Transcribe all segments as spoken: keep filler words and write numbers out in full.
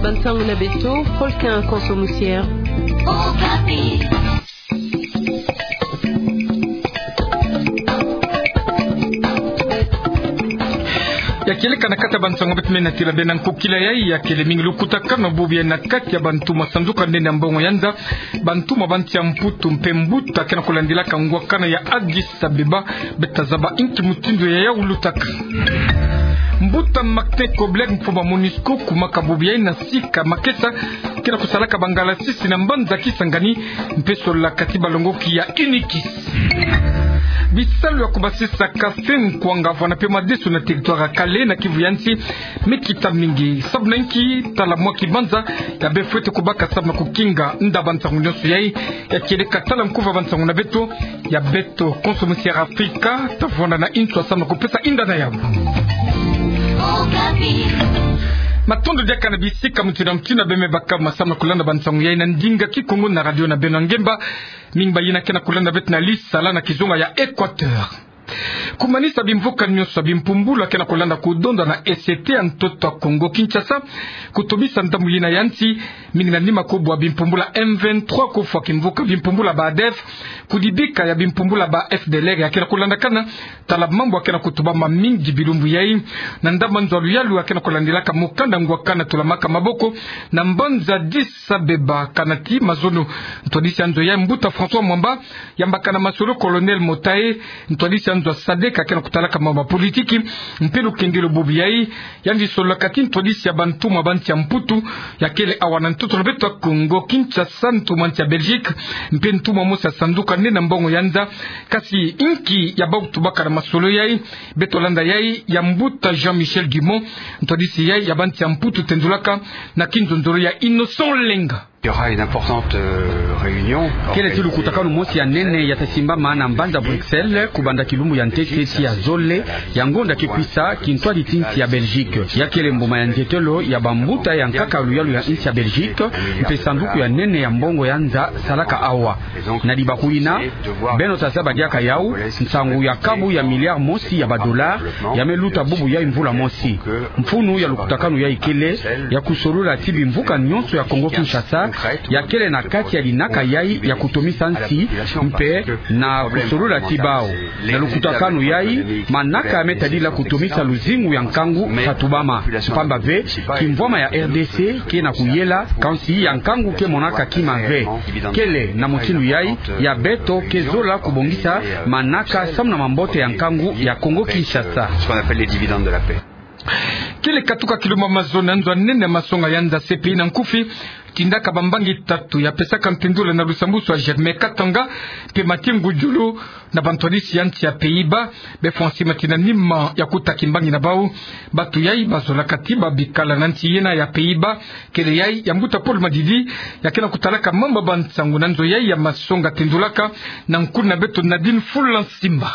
Bansango na beto, Paul Quin Konso Musière. Ya kieleka na kati ya bansango beto me na tila bena nkokila yai, ya kele mingi lukutakano bubu yai na kati ya bantu ma sanduka nene ya mbongo ya nza, bantu ma ba nsi ya Mputu mpe mbuta ke na kulandilaka ngwakana ya Addis Abeba, beta zaba inki mutindu ya yau lutaka. Mbuta Martin Kobler, mfumu ya MONUSCO, kumaka bubu yai na sika makesa ke na kusalaka bangalasisi na mbanza Kisangani, mpe solola kati balongoki ya UNIKIS. Bisalu ya kubasisa kafe, nkwanga, vwala mpe madesu na territoire ya Kale na Kivu ya nsi me kita mingi. Sabu na inki? Tala mwa kibanza ya bê fwete kubaka samu na kukinga. Nda bansango nyonso yai, ya kieleka tala nkufi ya bansango na beto, ya beto Konso Musière Afrika, ta vwanda na inswa samu na kupesa inda na yau. Matondo diaka na bisika mutindu na mutindu bê me baka ma samu na kulanda bansango yai na ndinga Kikongo na radio na beno ya ngemba. Mingi bayina ke na kulanda beto na lisala na kizunga ya Équateur. Kumanisa bimvuka nyonso ya bimpumbulu ya ke na kulanda kudonda na E C T ya ntoto ya Kongo Kinshasa, kutomisa ndambu yina ya nsi, mingi na nima kubwa bimpumbulu ya M vingt-trois, kufwa kimvuka bimpumbulu ya ba ADF, kudibika ya bimpumbulu ya ba F D L R ya ke na kulandakana. Tala mambu ya ke na kutubama mingi bilumbu yai, na ndambu ya nzo ya luyalu ya ke na kulandilaka mukanda ngwakana tulamaka maboko na mbanza Addis Abeba. Kana ti mazono, ntwadisi ya nzo yai, mbuta François Mwamba, yambaka na masolo Colonel Motahe, ntwadisi ya nzo ya SADC ya ke na kutalaka mambu ya politiki mpe lukengelo bubu yai. Yandi solola kati ntwadisi ya bantu ma ba nsi ya Mputu ya kele awa na ntoto na beto ya Kongo Kinshasa, ntumwa nsi ya Belgique mpe ntumwa mosi ya sanduka nene ya mbongo ya nza. Kasi inki ya bau kutubaka na masolo yai? Beto landa yai ya mbuta Jean-Michel Dumont, ntwadisi yai ya ba nsi ya Mputu, tendulaka na kinzonzolo ya Innocent Lenga. Il y aura une importante, euh, réunion. Kele ti lukutakanu mosi ya nene ya ta simbama na mbanza Bruxelles, kubanda kilumbu ya ntete tii ya zole ya ngonda ke kwisa, kintwadi ti nsi ya Belgique. Ya kele mbuma ya nzietelo ya bambuta ya nkaka luyalu ya nsi ya Belgique, mpe sanduku ya nene ya mbongo ya nza salaka awa. Na libaku yina, beno ta zaba diaka yau, nsangu ya kabu ya milliard mosi ya ba dollars ya me luta bubu yai mvula mosi. Mfunu ya lukutakanu yai kele ya kusolola ti bimvuka nyonso ya Kongo Kinshasa ya kele na kati ya linaka yai ya kutomisa nsi, mpe na kusolola ti bau, na lukutakanu yai, manaka ya me tadila kutomisa luzingu ya nkangu ta tubama. Mpamba ve, kimvwama ya R D C ke na kuyela, kansi ya nkangu ke monaka kima ve. Kele na mutindu yai ya beto ke zola kubongisa manaka samu na mambote ya nkangu ya Kongo Kinshasa. Ce qu'on appelle les dividendes de la paix. Kele katuka kilumbu ya mazono, nzo ya nene ya masonga ya nza C P I na nkufi tindaka bambangi tatu ya pesaka ntendula na lusambusu ya Germain Katanga mpe Mathieu Ngudjolo, na bantwadisi ya nsi ya Pays-Bas, be Français, matina nima ya kuta kimbangi na bau. Batu yai bazolaka ti ba bikala na nsi yina ya Pays-Bas. Kele yai ya mbuta Paul Madidi, ya ke na kutalaka mambu ya bansangu na nzo yai ya masonga tendulaka na nkuna beto Nadine Fulansimba.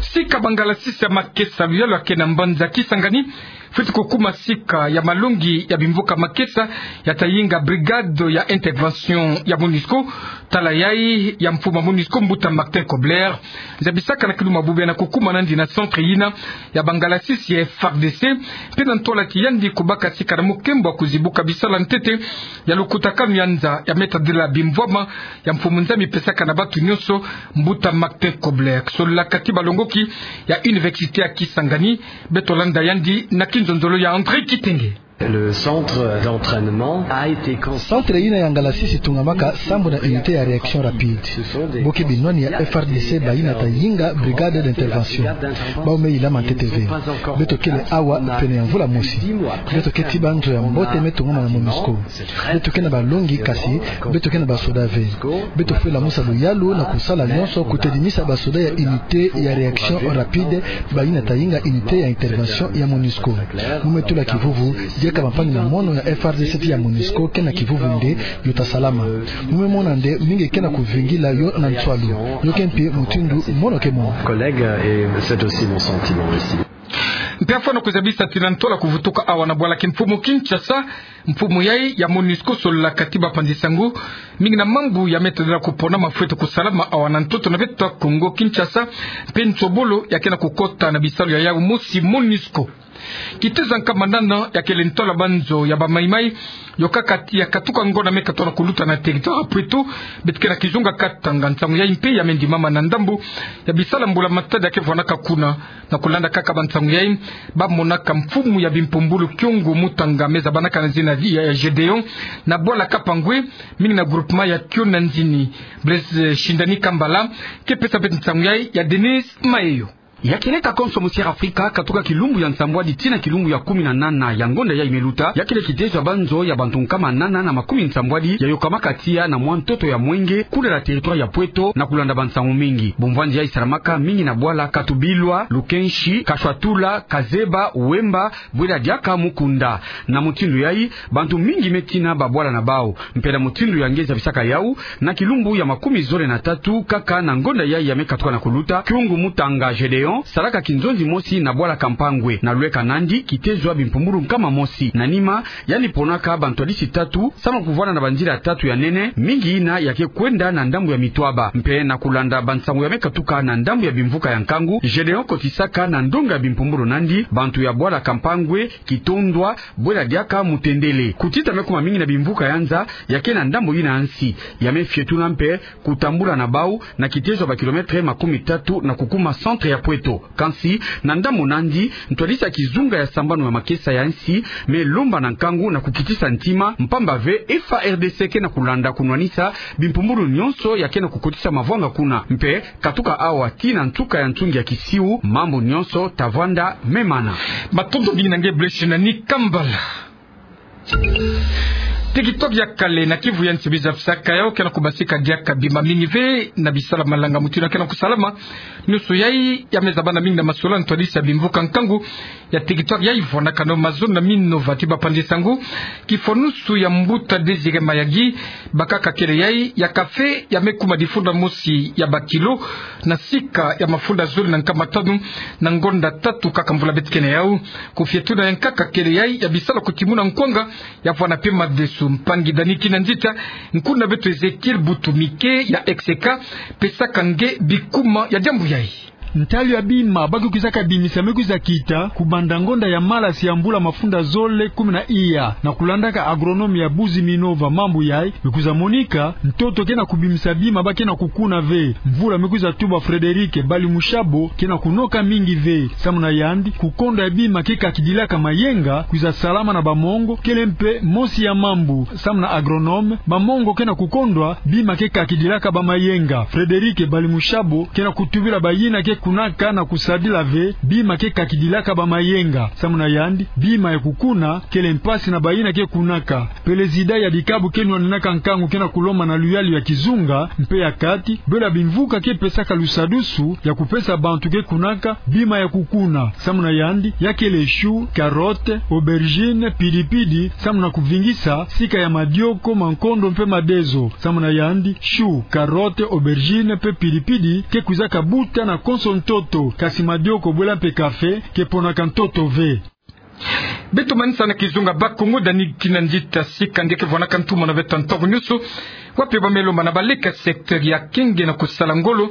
Sika bangalasisi ya makesa luyalu ya ke na mbanza Kisangani fwete kukuma sika ya malongi ya bimvuka makesa ya ta yinga brigade ya intervention ya MONUSCO. Tala yai ya mfumu ya MONUSCO, mbuta Martin Kobler, zabisaka na kilumbu ya bubu yai na kukuma nandi na centre yina ya bangalasisi ya F A R D C, mpe na ntwala ti yandi kubaka sika na mukembo ya kuzibuka bisala ntete ya lukutakanu ya nza ya me tadila bimvwama ya mfumu Nzambi pesaka na batu nyonso, mbuta Martin Kobler. Solola kati balongoki ya Université ya Kisangani, beto landa yandi na kinzonzolo ya André Kitenge. Le centre d'entraînement a été construit. Centre yina ya ngalasisi etungamaka sambu na unité ya réaction rapide. Bo ke binwani ya F A R D C bayina ta yinga brigade d'intervention. Bau me yilama ntete ve. Beto kele awa pene ya mvula mosi. Beto keti ba nzo ya mbote me tungama na MONUSCO. Beto ke na balongi, kasi beto ke na basoda ve. Beto fwe lamusa luyalu na kusala nyonso kutedimisa basoda ya unité ya réaction rapide bayina ta yinga unité ya intervention ya MONUSCO. Mu me tula kivuvu, diaka bampangi na mono ya F A R D C ti ya MONUSCO ke na kivuvu nde yo ta salama. Mu me mona nde mingi ke na kuvingila yo na nswalu. Yo ke mpi mutindu mono ke mona. Collègue, et c'est aussi mon sentiment ici. Mpe afwana kuzabisa ti na ntwala kuvutuka awa na bwala kimfumu Kinshasa, mfumu yai ya MONUSCO solola kati bapanzi sango mingi na mambu ya me tadila kupona ma fwete kusalama awa na ntoto na beto Kongo Kinshasa, mpe nsobolo ya ke na kukota na bisalu ya yau mosi MONUSCO. Kitezo ya nkama nana ya kele ntola banzo ya bamaimai, yo kaka tiya katuka ngonda me katono kuluta na territoire ya Pweto, beto ke na kizunga Katanga. Nsangu yai mpe ya me ndimama na ndambu ya bisala mbula matadi ya ke vwanaka kuna. Na kulanda kaka bansangu yai, ba monaka mfumu ya bimpumbulu Kyungu Mutanga me zabanaka na zina ya, ya Gedeon, na bwala Kapangwe, mingi na groupement ya Kyo na Nzini. Blaise, eh, Shindani Kambala ke pesa beto nsangu yai ya Denise Mayeyo. Ya kele ta konso mu Sierra Afrika, katuka kilumbu ya nsambwadi tii na kilumbu ya kumi na nana ya ngonda yai me luta, ya kele kitezo ya banzo ya bantu nkama nana na makumi nsambwadi ya yokamaka tiya na mwa ntoto ya mwenge, kuna na territoire ya Pweto, na kulanda bansangu mingi. Bumvwandi yai salamaka mingi na bwala Katubilwa, Lukenshi, Kashwatula, Kazeba, Wemba, bwela diaka Mukunda. Na mutindu yai, bantu mingi me tina babwala na bau. Mpe na mutindu ya nge zabisaka yau, na kilumbu ya makumi zole na tatu, kaka na ngonda yai ya me katuka na kuluta, Kyungu Mutanga Gedeon salaka kinzonzi mosi na bwala Kampangwe. Na lweka nandi, kitezo ya bimpumbulu nkama mosi. Na nima, yandi ponaka bantwadisi tatu, samu na kuvwanda na banzila tatu ya nene, mingi yina ya ke kwenda na ndambu ya Mitwaba. Mpe na kulanda bansangu ya me katuka na ndambu ya bimvuka ya nkangu, Gedeon kotisaka na ndonga ya bimpumbulu nandi, bantu ya bwala Kampangwe, Kitondwa, bwela diaka Mutendele. Kutita me kuma mingi na bimvuka ya nza ya ke na ndambu yina ya nsi, ya me fietuna mpe kutambula na bau na kitezo ya ba kilomètre makumi tatu na kukuma centre ya Pweto. Kansi, na ndambu nandi, ntwadisi ya kizunga ya sambanu ya makesa ya nsi me lomba na nkangu na kukitisa ntima, mpamba ve F A R D C ke na kulanda kunwanisa bimpumbulu nyonso ya ke na kukotisa mavwanga kuna. Mpe, katuka awa tii na nsuka ya nsungi ya kisiu, mambu nyonso ta vwanda me mana. Matondo mingi na nge Blaise Shindani Kambala. Territoire ya kale na Kivu ya nsi biza fisaka yau ke na kubasika diaka bima mingi ve na bisala malanga mutindu ya ke na kusalama. Nyonso yai ya me zabana mingi na masolani ntwadisi ya bimvuka nkangu ya territoire yai, vwanaka no mazono na mino vati bapanzi sango. Kifonusu ya mbuta Désiré Mayagi, bakaka kele yai ya café ya me kuma difunda mosi ya ba kilo na sika ya mafunda zole na nkama tanu na ngonda tatu kaka mvula beto ke na yau. Kufietuna ya nkaka kele yai ya bisala kutimuna nkwanga, ya vwana mpe madesu. Mpangi Dani Kinanzita, nkuna beto Ezekiel Butumike ya Execa, pesaka nge bikuma ya diambu yai. Ntalu ya bima ba ke kwizaka bimisa me kwiza kita kubanda ngonda ya malasi ya mvula mafunda zole kumi na iya. Na kulandaka agronome ya Buzi Minova mambu yai, me kwiza monika ntoto ke na kubimisa bima ba ke na kukuna ve. Mvula me kwiza tuba Frédéric Balimushabo ke na kunoka mingi ve. Samu na yandi, kukonda ya bima ke kakidilaka mayenga kwiza salama na bamongo kele mpe mosi ya mambu. Samu na agronome, bamongo ke na kukondwa bima ke kakidilaka bamayenga. Frédéric Balimushabo ke na kutubila bayina ke kunaka na kusadila ve bima ke kakidilaka bamayenga. Samu na yandi, bima ya kukuna kele mpasi na bayina ke kunaka. Pelezida ya dikabu ke nwaninaka nkangu ke na kulomba na luyalu ya kizunga mpe ya kati, bwela bimvuka ke pesaka lusadusu ya kupesa bantu ke kunaka bima ya kukuna. Samu na yandi, ya kele chou, carotte, aubergine, pidipidi, samu na kuvingisa sika ya madioko, mankondo mpe madezo. Samu na yandi, chou, carotte, aubergine mpe pidipidi ke kwizaka buta na konso ntoto, kasi madioko bwela mpe café ke ponaka ntoto ve. Beto manisa na kizunga Bakongo, Dani Kinanzita, sika nge ke vwanaka ntuma na beto ntangu nyonso. Wapi ba me lomba na baleke ya secteur ya kenge na kusala ngolo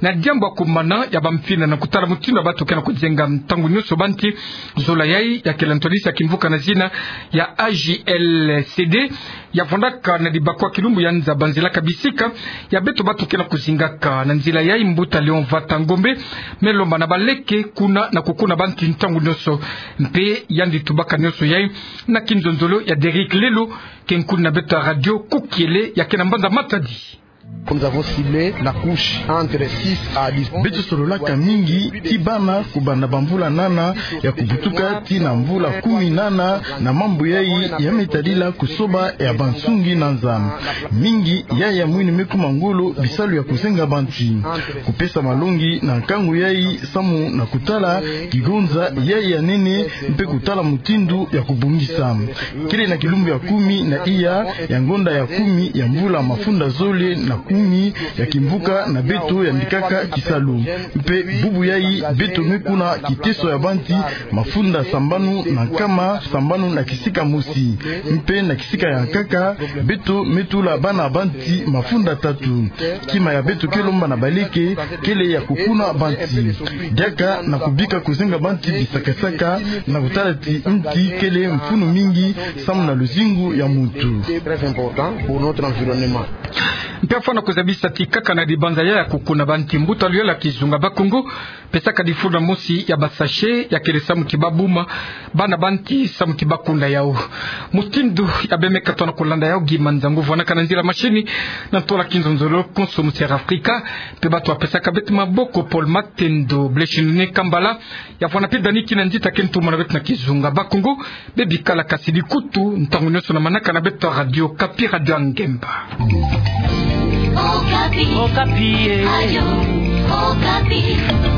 na diambu ya kumana ya bamfina na kutala mutindu ya bato ke na kuzenga ntangu nyonso banti. Zola yai ya kele ntwadisi ya kimvuka na zina ya A J L C D, ya vwandaka na dibakwa kilumbu ya nza banzilaka bisika ya beto bato ke na kuzingaka. Na nzila yai, mbuta Léon Vata Ngombe me lomba na baleke kuna na kukuna banti ntangu nyonso. Mpe yandi tubaka nyonso yai na kinzonzolo ya Derrick Lelo, ke nkuni na beto ya radio Kukiele ya ke na mbanza Matadi. Nous avons ciblé la couche entre six à dix ans. Beto sololaka mingi ti bana kubanda bamvula nana ya kubutuka ti na mvula kumi nana na mambu yai ya me tadila kusoba ya bansungi na nza. Mingi yai ya mwini me kuma ngolo bisalu ya kuzenga banti. Kupesa malongi na nkangu yai samu na kutala kigonza yai ya nene mpe kutala mutindu ya kubongisa. Kele na kilumbu ya kumi na iya ya ngonda ya kumi ya mvula mafunda zole na kumi ya kimvuka na beto yandikaka kisalu. Mpe bubu yayi beto me kuna kiteso ya banti mafunda sambanu na nkama sambanu na kisika mosi. Mpe na kisika ya nkaka, beto me tula bana banti mafunda tatu. Kima ya beto ke lomba na baleke kele ya kukuna banti. Diaka na kubika kuzenga banti bisakasaka na kutala ti nti kele mfunu mingi samu na luzingu ya muntu. Mpe afwana kuzabisa ti kaka na dibanza ya ya kukuna banti, mbuta luyala kizunga Bakongo pesaka difulu mosi ya basachet ya kele samu ti babuma bana banti samu ti bakuna yau. Mutindu ya bemeka tona kulanda yau, Guy Manzangu vwanaka na nzila mashini, na ntola kinzonzolo konso mu Sierra Africa. Mpe bato ya pesaka beto maboko, Paul Matendo, Bleshinine Kambala, ya vwana mpe Dani Kinanzita ke ntumana beto na kizunga Bakongo. Bebikala kasi dikutu ntangu nyonso na manaka na beto ya Radio Okapi, Radio ya Ngemba. Okapi. Okapi, eh. Radio Okapi.